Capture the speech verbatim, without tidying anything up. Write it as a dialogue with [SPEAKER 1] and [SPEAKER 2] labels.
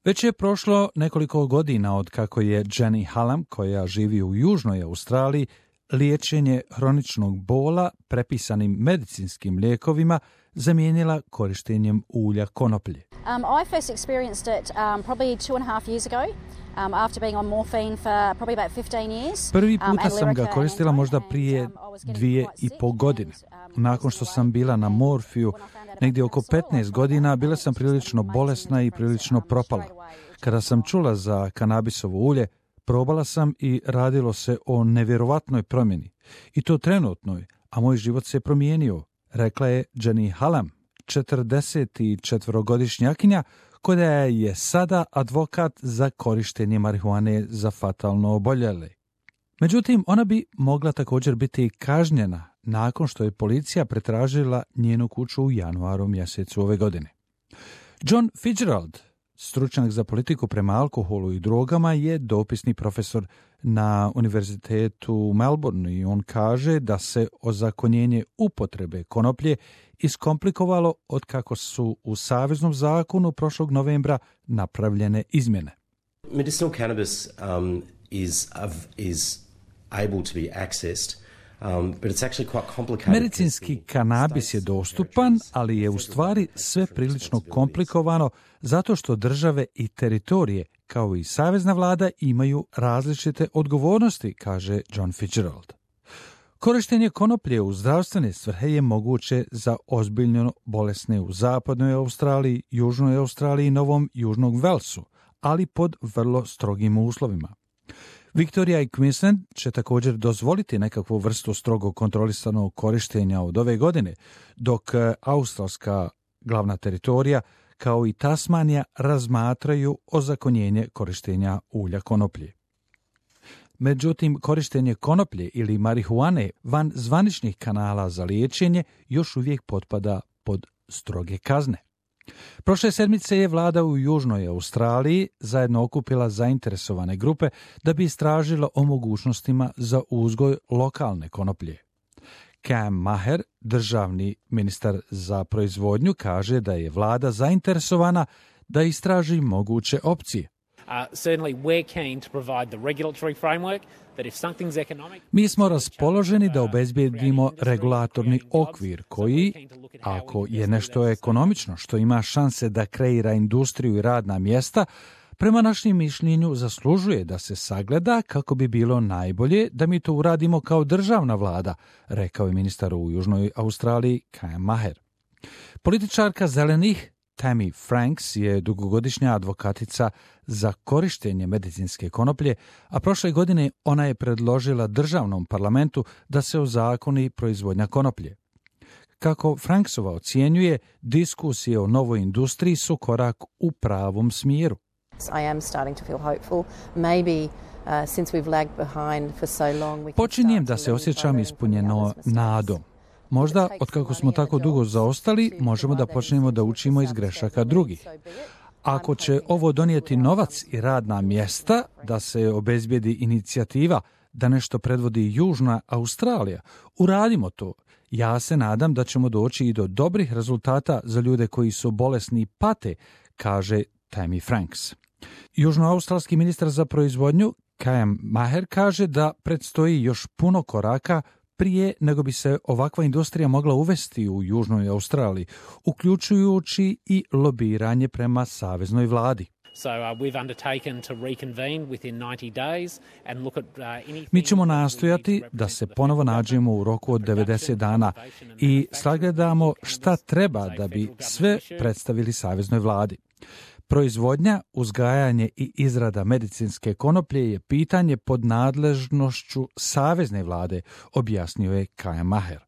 [SPEAKER 1] Već je prošlo nekoliko godina od kako je Jenny Hallam, koja živi u Južnoj Australiji, liječenje hroničnog bola prepisanim medicinskim lijekovima zamijenila korištenjem ulja konoplje.
[SPEAKER 2] Um, I first experienced it um, probably two and a half years ago. Um, after being on morphine for probably about fifteen years.
[SPEAKER 1] Prvi puta sam ga koristila možda prije dvije i po godine. Nakon što sam bila na morfiju negdje oko petnaest godina, bila sam prilično bolesna i prilično propala. Kada sam čula za kanabisovo ulje, probala sam i radilo se o nevjerovatnoj promjeni. I to trenutnoj, a moj život se promijenio, rekla je Jenny Hallam, četrdesetčetvorogodišnjakinja, koja je sada advokat za korištenje marihuane za fatalno oboljele. Međutim, ona bi mogla također biti kažnjena nakon što je policija pretražila njenu kuću u januaru mjesecu ove godine. John Fitzgerald, stručnjak za politiku prema alkoholu i drogama, je dopisni profesor na Univerzitetu u Melbourneu i on kaže da se ozakonjenje upotrebe konoplje iskomplikovalo od kako su u Saveznom zakonu prošlog novembra napravljene izmjene.
[SPEAKER 3] Medicinal cannabis um, is, uh, is able to be accessed. Um, but it's actually quite complicated.
[SPEAKER 1] Medicinski kanabis je dostupan, ali je u stvari sve prilično komplikovano zato što države i teritorije, kao i savezna vlada, imaju različite odgovornosti, kaže John Fitzgerald. Korištenje konoplje u zdravstvene svrhe je moguće za ozbiljno bolesne u zapadnoj Australiji, južnoj Australiji i Novom Južnom Velsu, ali pod vrlo strogim uslovima. Victoria i Queensland će također dozvoliti nekakvu vrstu strogo kontrolisanog korištenja od ove godine, dok australska glavna teritorija kao i Tasmanija razmatraju ozakonjenje korištenja ulja konoplje. Međutim, korištenje konoplje ili marihuane van zvaničnih kanala za liječenje još uvijek potpada pod stroge kazne. Prošle sedmice je vlada u Južnoj Australiji zajedno okupila zainteresovane grupe da bi istražila o mogućnostima za uzgoj lokalne konoplje. Cam Maher, državni ministar za proizvodnju, kaže da je vlada zainteresovana da istraži moguće opcije.
[SPEAKER 4] Uh, certainly we're keen to provide the regulatory framework that if something's economic...
[SPEAKER 1] Mi smo raspoloženi da obezbijedimo regulatorni okvir koji, ako je nešto ekonomično što ima šanse da kreira industriju i radna mjesta, prema našem mišljenju zaslužuje da se sagleda kako bi bilo najbolje da mi to uradimo kao državna vlada, rekao je ministar u Južnoj Australiji Cam Maher. Političarka zelenih Tammy Franks je dugogodišnja advokatica za korištenje medicinske konoplje, a prošle godine ona je predložila državnom parlamentu da se ozakoni proizvodnja konoplje. Kako Franksova ocjenjuje, diskusije o novoj industriji su korak u pravom smjeru. Počinjem da se osjećam ispunjeno nadom. Možda, otkako smo tako dugo zaostali, možemo da počnemo da učimo iz grešaka drugih. Ako će ovo donijeti novac i radna mjesta, da se obezbijedi inicijativa da nešto predvodi Južna Australija, uradimo to. Ja se nadam da ćemo doći i do dobrih rezultata za ljude koji su bolesni i pate, kaže Tammy Franks. Južnoaustralski ministar za proizvodnju Cam Maher kaže da predstoji još puno koraka prije nego bi se ovakva industrija mogla uvesti u Južnoj Australiji, uključujući i lobiranje prema saveznoj vladi.
[SPEAKER 4] So, uh, we've undertaken to reconvene within ninety days and look at uh, anything...
[SPEAKER 1] Mi ćemo nastojati da se ponovo nađemo u roku od devedeset dana i sagledamo šta treba da bi sve predstavili saveznoj vladi. Proizvodnja, uzgajanje i izrada medicinske konoplje je pitanje pod nadležnošću savezne vlade, objasnio je Cam Maher.